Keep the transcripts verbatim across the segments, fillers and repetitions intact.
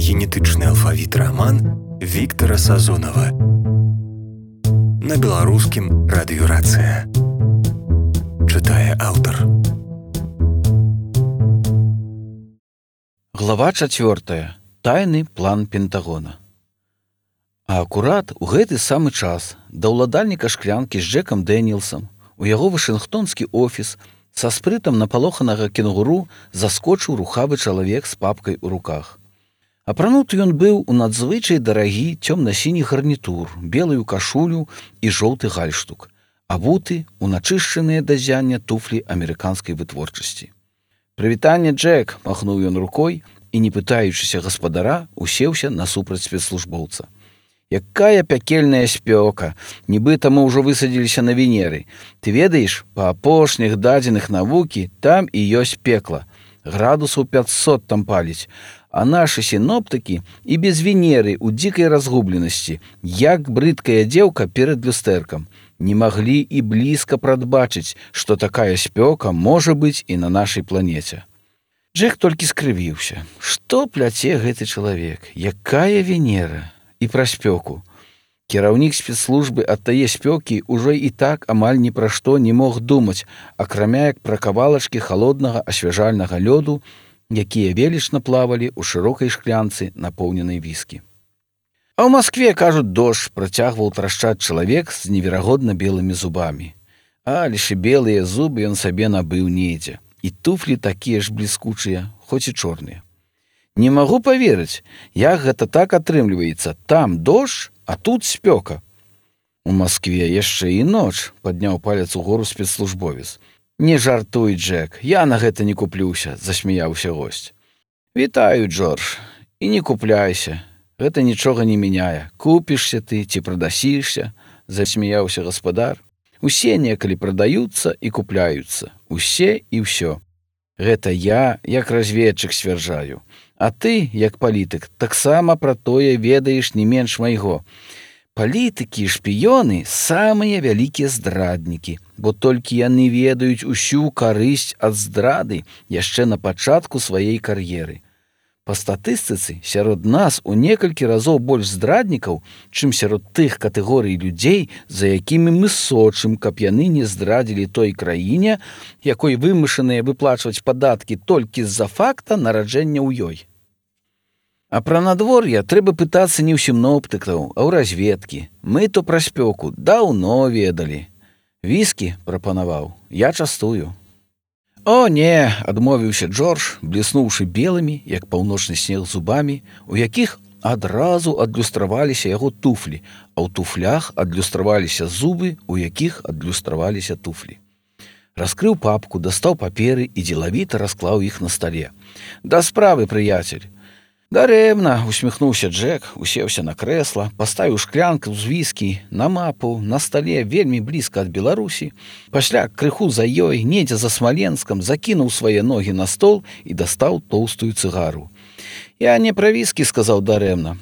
генетычны алфавіт раман Віктара Сазонова. На беларускім радыёрацыя. Чытае аўтар. Глава чацвёртая. Тайны план Пентагона. А акурат у гэты самы час да ўладальніка шклянкі з Джекам Дэнілсам у яго вашынгтонскі офіс са спрытам напалоханага кенгуру заскочыў рухавы чалавек з папкай у руках. Апрануты ён быў у надзвычай дарагі цёмна-сіні гарнітур, белую кашулю і жоўты гальштук, абуты ў начышчаныя да ззяння туфлі амерыканскай вытворчасці. «Прывітанне, Джек!» – махнуў ён рукой і, не пытаючыся гаспадара, усеўся насупраць спецслужбоўца. «Якая пякельная спёка! Нібыта мы ўжо высадзіліся на Венеры. Ты ведаеш, па апошніх дадзеных навукі там і ёсць пекла. Градусаў пятьсот там паліць. А нашы сіноптыкі і без Венеры ў дзікай разгубленасці, як брыдкая дзеўка перад люстэркам, не маглі і блізка прадбачыць, што такая спёка можа быць і на нашай планеце». Джек толькі скрывіўся. Што пляце гэты чалавек? Якая Венера? І пра спёку. Кіраўнік спецслужбы ад тае спёкі ўжо і так амаль ні пра што не мог думаць, акрамя як пра кавалачкі халоднага асвяжальнага лёду, якія велічна плавалі ў шырокай шклянцы, напоўненай віскі. «А ў Маскве, кажуць, дождж», – працягваў трашчаць чалавек з неверагодна белымі зубамі. Але ж і белыя зубы ён сабе набыў недзе. І туфлі такія ж бліскучыя, хоць і чорныя. «Не магу паверыць, як гэта так атрымліваецца. Там дождж, а тут спёка». «У Маскве яшчэ і ноч», – падняў палец угору спецслужбовец. «Не жартуй, Джек, я на гэта не куплюся», – засмяяўся госць. «Вітаю, Джордж, і не купляйся. Гэта нічога не мяняе. Купішся ты ці прадасішся», – засмяяўся гаспадар. «Усе некалі прадаюцца і купляюцца. Усе і ўсё. Гэта я, як разведчык, сцвярджаю. А ты, як палітык, таксама пра тое ведаеш не менш майго. Палітыкі і шпіёны – самыя вялікія здраднікі, бо толькі яны ведаюць усю карысць ад здрады яшчэ на пачатку сваёй кар'еры. Па статыстыцы, сярод нас у некалькі разоў больш здраднікаў, чым сярод тых катэгорый людзей, за якімі мы сочым, каб яны не здрадзілі той краіне, якой вымушаныя выплачваць падаткі толькі з-за факта нараджэння ў ёй. А пра надвор'е трэба пытацца не ў сіноптыкаў, а ў разведкі. Мы то пра спёку даўно ведалі. Віскі прапанаваў, я частую». «О, не!» – адмовіўся Джордж, бліснуўшы белымі, як паўночны снег, зубамі, у якіх адразу адлюстраваліся яго туфлі, а ў туфлях адлюстраваліся зубы, у якіх адлюстраваліся туфлі. Раскрыў папку, дастаў паперы і дзелавіта расклаў іх на стале. «Да справы, прыяцель!» «Дарэмна!» – усміхнуўся Джек, усеўся на крэсла, паставіў шклянку з віскі на мапу на стале вельмі блізка ад Беларусі, пасля крыху за ёй, недзе за Смаленскам, закінуў свае ногі на стол і дастаў тоўстую цыгару. «Я не пра віскі», – сказаў дарэмна.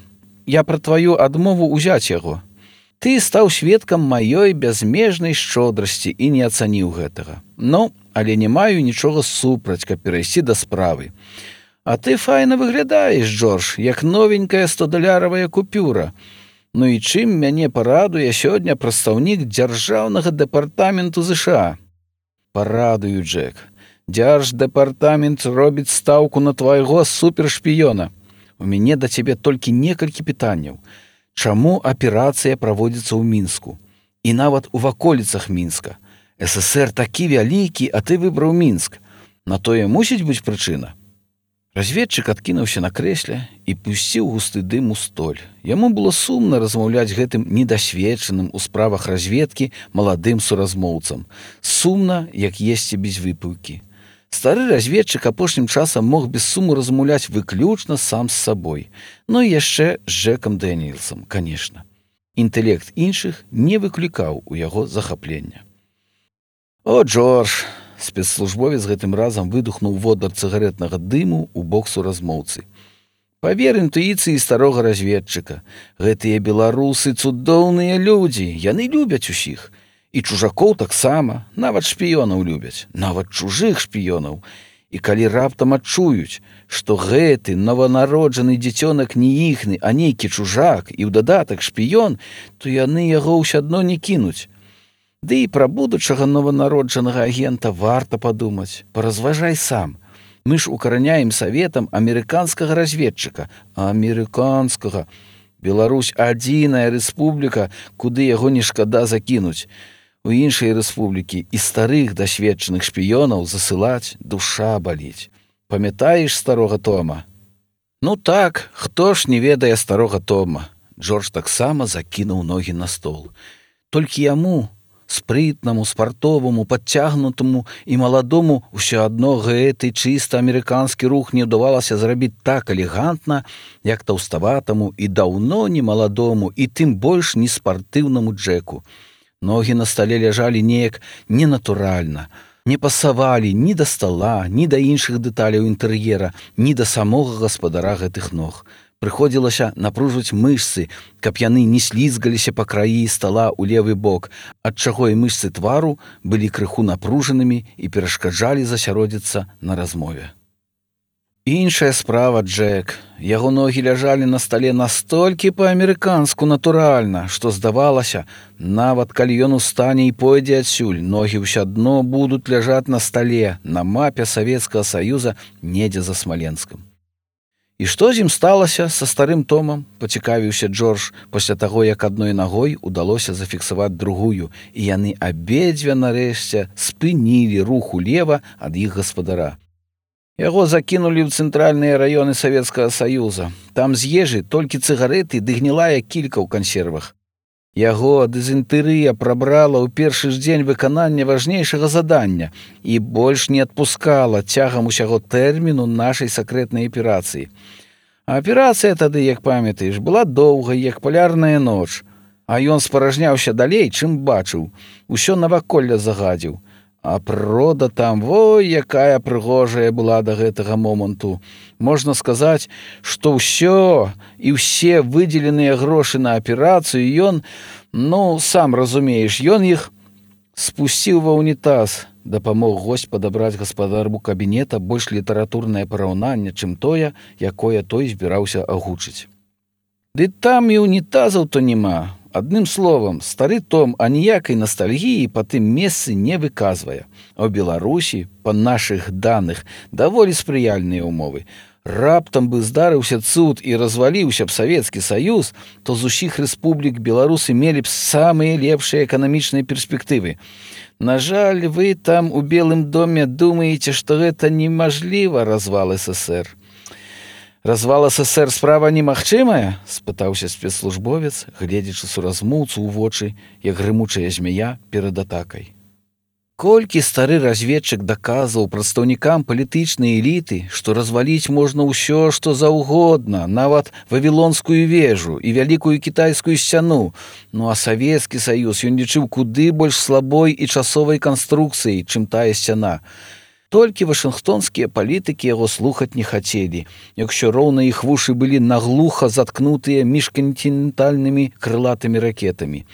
«Я пра тваю адмову ўзяць яго. Ты стаў сведкам маёй бязмежнай шчодрасці і не ацаніў гэтага. Ну, але не маю нічога супраць, каб перайсці да справы. А ты файна выглядаеш, Джордж, як новенькая стодаляравая купюра. Ну і чым мяне парадуе сёння прадстаўнік дзяржаўнага дэпартаменту ЗША?» «Парадую, Джек. Дзярждэпартамент робіць стаўку на твайго супершпіёна. У мяне да цябе толькі некалькі пытанняў. Чаму аперацыя праводзіцца ў Мінску? І нават у ваколіцах Мінска. ССР такі вялікі, а ты выбраў Мінск. На тое мусіць быць прычына?» Разведчык адкінуўся на крэсле і пусціў густы дым у столь. Яму было сумна размаўляць гэтым недасведчаным у справах разведкі маладым суразмоўцам. Сумна, як есці без выпіўкі. Стары разведчык апошнім часам мог без суму размаўляць выключна сам з сабой. Ну і яшчэ з Джекам Дэнілсам, канешне. Інтэлект іншых не выклікаў у яго захаплення. «О, Джордж!» Спецслужбовец гэтым разам выдухнуў водар цыгарэтнага дыму ў бок суразмоўцы. «Павер інтуіцыі старога разведчыка. Гэтыя беларусы цудоўныя людзі, яны любяць усіх. І чужакоў таксама, нават шпіёнаў любяць, нават чужых шпіёнаў. І калі раптам адчуюць, што гэты нованароджаны дзіцёнак не іхны, а нейкі чужак і ў дадатак шпіён, то яны яго ўсё адно не кінуць. Ды і пра будучага нованароджанага агента варта падумаць. Паразважай сам. Мы ж укараняем саветам амерыканскага разведчыка. Амерыканскага. Беларусь адзіная рэспубліка, куды яго не шкада закінуць. У іншыя рэспублікі і старых дасведчаных шпіёнаў засылаць душа баліць. Памятаеш старога Тома? Ну так, хто ж не ведае старога Тома? Джордж таксама закінуў ногі на стол. Толькі яму, спрытнаму, спартоваму, падцягнутаму і маладому, усё адно гэты чыста амерыканскі рух не ўдавалася зрабіць так элегантна, як таўставатаму і даўно не маладому, і тым больш не спартыўнаму Джеку. Ногі на стале ляжалі неяк ненатуральна, не пасавалі ні да стала, ні да іншых дэталяў інтэр'ера, ні да самога гаспадара гэтых ног. Прыходзілася напружваць мышцы, каб яны не слізгаліся па краі стала ў левы бок, адчаго і мышцы твару былі крыху напружанымі і перашкаджалі засяродзіцца на размове. Іншая справа, Джек. Яго ногі ляжалі на стале настолькі па-амерыканску натуральна, што здавалася, нават калі ён устане і пойдзе адсюль, ногі ўсё адно будуць ляжаць на стале, на мапе Савецкага Саюза недзе за Смаленскам. І што з ім сталася са старым Томам, пацікавіўся Джордж пасля таго, як адной нагой удалося зафіксаваць другую, і яны абедзве нарэшце спынілі рух улева ад іх гаспадара. Яго закінулі ў цэнтральныя раёны Савецкага Саюза. Там з ежы толькі цыгарэты ды гнілая кілька ў кансервах. Яго дызентэрыя прабрала ў першы ж дзень выканання важнейшага задання і больш не адпускала цягам усяго тэрміну нашай сакрэтнай аперацыі. А аперацыя тады, як памятаеш, была доўгай, як палярная ноч, а ён спаражняўся далей, чым бачыў. Усё наваколле загадзіў. А прырода там, ой, якая прыгожая была да гэтага моманту. Можна сказаць, што ўсё і ўсе выдзеленыя грошы на аперацыю ён, ну, сам разумееш, ён іх спусціў ва ўнітаз, дапамог госць падабраць гаспадару кабінета больш літаратурнае параўнанне, чым тое, якое той збіраўся агучыць. Ды там і ўнітазаў-то няма. Адным словам, стары Том аніякай настальгіі па тым месцы не выказвае. А ў Беларусі, па нашых даных, даволі спрыяльныя ўмовы. Раптам бы здарыўся цуд і разваліўся б Савецкі Саюз, то з усіх рэспублік беларусы мелі б самыя лепшыя эканамічныя перспектывы. На жаль, вы там у Белым доме думаеце, што гэта немажліва развал СССР. «Развал СССР справа немагчымая?» – спытаўся спецслужбовец, гледзячы суразмоўцу ў вочы, як грымучая змяя перад атакай. Колькі стары разведчык даказваў прадстаўнікам палітычнай эліты, што разваліць можна ўсё, што заўгодна, нават Вавілонскую вежу і вялікую кітайскую сцяну, ну а Савецкі Саюз ён лічыў куды больш слабой і часовай канструкцыяй, чым тая сцяна. Толькі вашынгтонскія палітыкі яго слухаць не хацелі, якщо роўна іх вушы былі наглуха заткнутыя міжкантынентальнымі крылатымі ракетамі.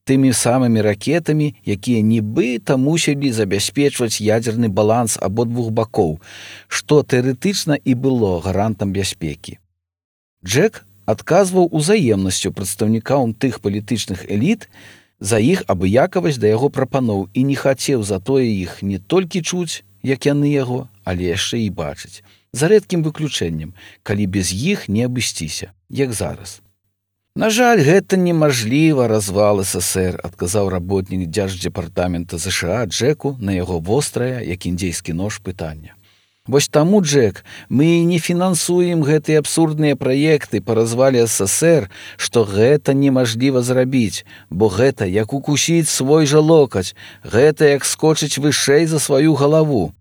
Тымі самымі ракетамі, якія нібыта мусілі забяспечваць ядзерны баланс абодвух бакоў, што тэарэтычна і было гарантам бяспекі. Джек адказваў узаемнасцю прадстаўнікам тых палітычных эліт за іх абыякавасць да яго прапаноў і не хацеў затое іх не толькі чуць, як яны яго, але яшчэ і бачыць. За рэдкім выключэннем, калі без іх не абысціся, як зараз. На жаль, гэта немажліва развал СССР, адказаў работнік дзярждзепартамента ЗША Джеку на яго вострае, як індзейскі нож, пытанне. Вось таму, Джек, мы не фінансуем гэтыя абсурдныя праекты па развале СССР, што гэта немажліва зрабіць, бо гэта як укусіць свой жа локаць, гэта як скочыць вышэй за сваю галаву.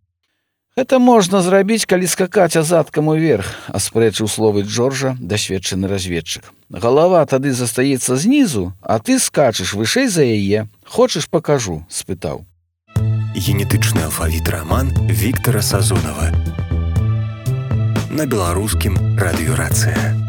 Гэта можна зрабіць, калі скакаць азадкам уверх, аспрэчыў словы Джорджа дасведчаны разведчык. Галава тады застаецца знізу, а ты скачаш вышэй за яе. Хочаш, пакажу? Спытаў. Генетычны алфавіт раман Віктара Сазонава на беларускім радыёрацыя.